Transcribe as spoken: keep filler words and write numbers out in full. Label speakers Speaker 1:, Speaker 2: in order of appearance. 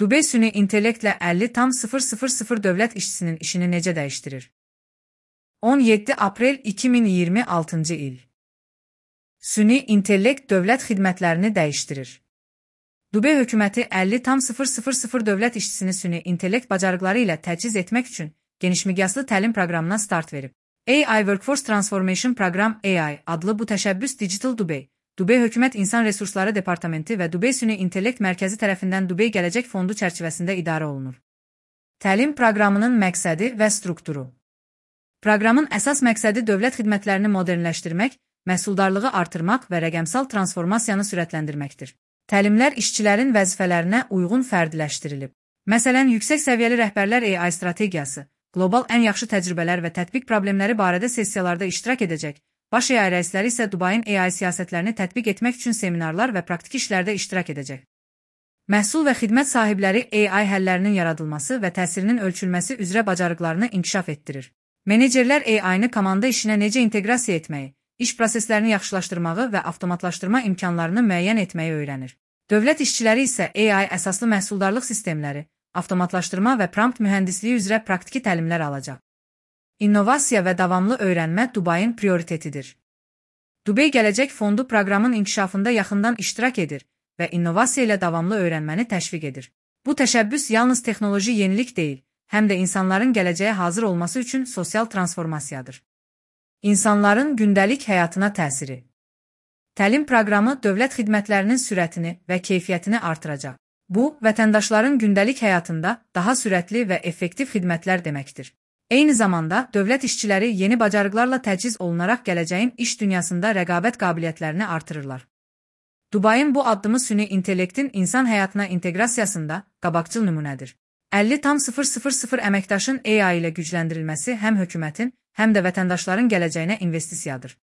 Speaker 1: Dubey süni intellektlə əlli tam sıfır sıfır sıfır dövlət işçisinin işini necə dəyişdirir? on yeddi aprel iki min iyirmi altıncı il. Süni intellekt dövlət xidmətlərini dəyişdirir. Dubey hökuməti əlli tam sıfır sıfır sıfır dövlət işçisini süni intellekt bacarıqları ilə təchiz etmək üçün genişmiqyaslı təlim proqramına start verib. A I Workforce Transformation Program A I adlı bu təşəbbüs Digital Dubey, Dubey Hökumət İnsan Resursları Departamenti və Dubey Süni İntellekt Mərkəzi tərəfindən Dubey Gələcək Fondu çərçivəsində idarə olunur. Təlim proqramının məqsədi və strukturu. Proqramın əsas məqsədi dövlət xidmətlərini modernləşdirmək, məhsuldarlığı artırmaq və rəqəmsal transformasiyanı sürətləndirməkdir. Təlimlər işçilərin vəzifələrinə uyğun fərdiləşdirilib. Məsələn, yüksək səviyyəli rəhbərlər A I strategiyası, qlobal ən yaxşı təcrübələr və tətbiq problemləri barədə sessiyalarda iştirak edəcək. Baş A I rəisləri isə Dubayın A I siyasətlərini tətbiq etmək üçün seminarlar və praktiki işlərdə iştirak edəcək. Məhsul və xidmət sahibləri A I həllərinin yaradılması və təsirinin ölçülməsi üzrə bacarıqlarını inkişaf etdirir. Menecerlər A I-nı komanda işinə necə inteqrasiya etməyi, iş proseslərini yaxşılaşdırmağı və avtomatlaşdırma imkanlarını müəyyən etməyi öyrənir. Dövlət işçiləri isə A I əsaslı məhsuldarlıq sistemləri, avtomatlaşdırma və prompt mühəndisliyi üzrə praktiki təlimlər alacaq. İnnovasiya və davamlı öyrənmə Dubayın prioritetidir. Dubey Gələcək Fondu proqramın inkişafında yaxından iştirak edir və innovasiya ilə davamlı öyrənməni təşviq edir. Bu təşəbbüs yalnız texnoloji yenilik deyil, həm də insanların gələcəyə hazır olması üçün sosial transformasiyadır. İnsanların gündəlik həyatına təsiri. Təlim proqramı dövlət xidmətlərinin sürətini və keyfiyyətini artıracaq. Bu, vətəndaşların gündəlik həyatında daha sürətli və effektiv xidmətlər deməkdir. Eyni zamanda, dövlət işçiləri yeni bacarıqlarla təchiz olunaraq gələcəyin iş dünyasında rəqabət qabiliyyətlərini artırırlar. Dubayın bu addımı süni intellektin insan həyatına inteqrasiyasında qabaqcıl nümunədir. əlli tam sıfır sıfır sıfır əməkdaşın A I ilə gücləndirilməsi həm hökumətin, həm də vətəndaşların gələcəyinə investisiyadır.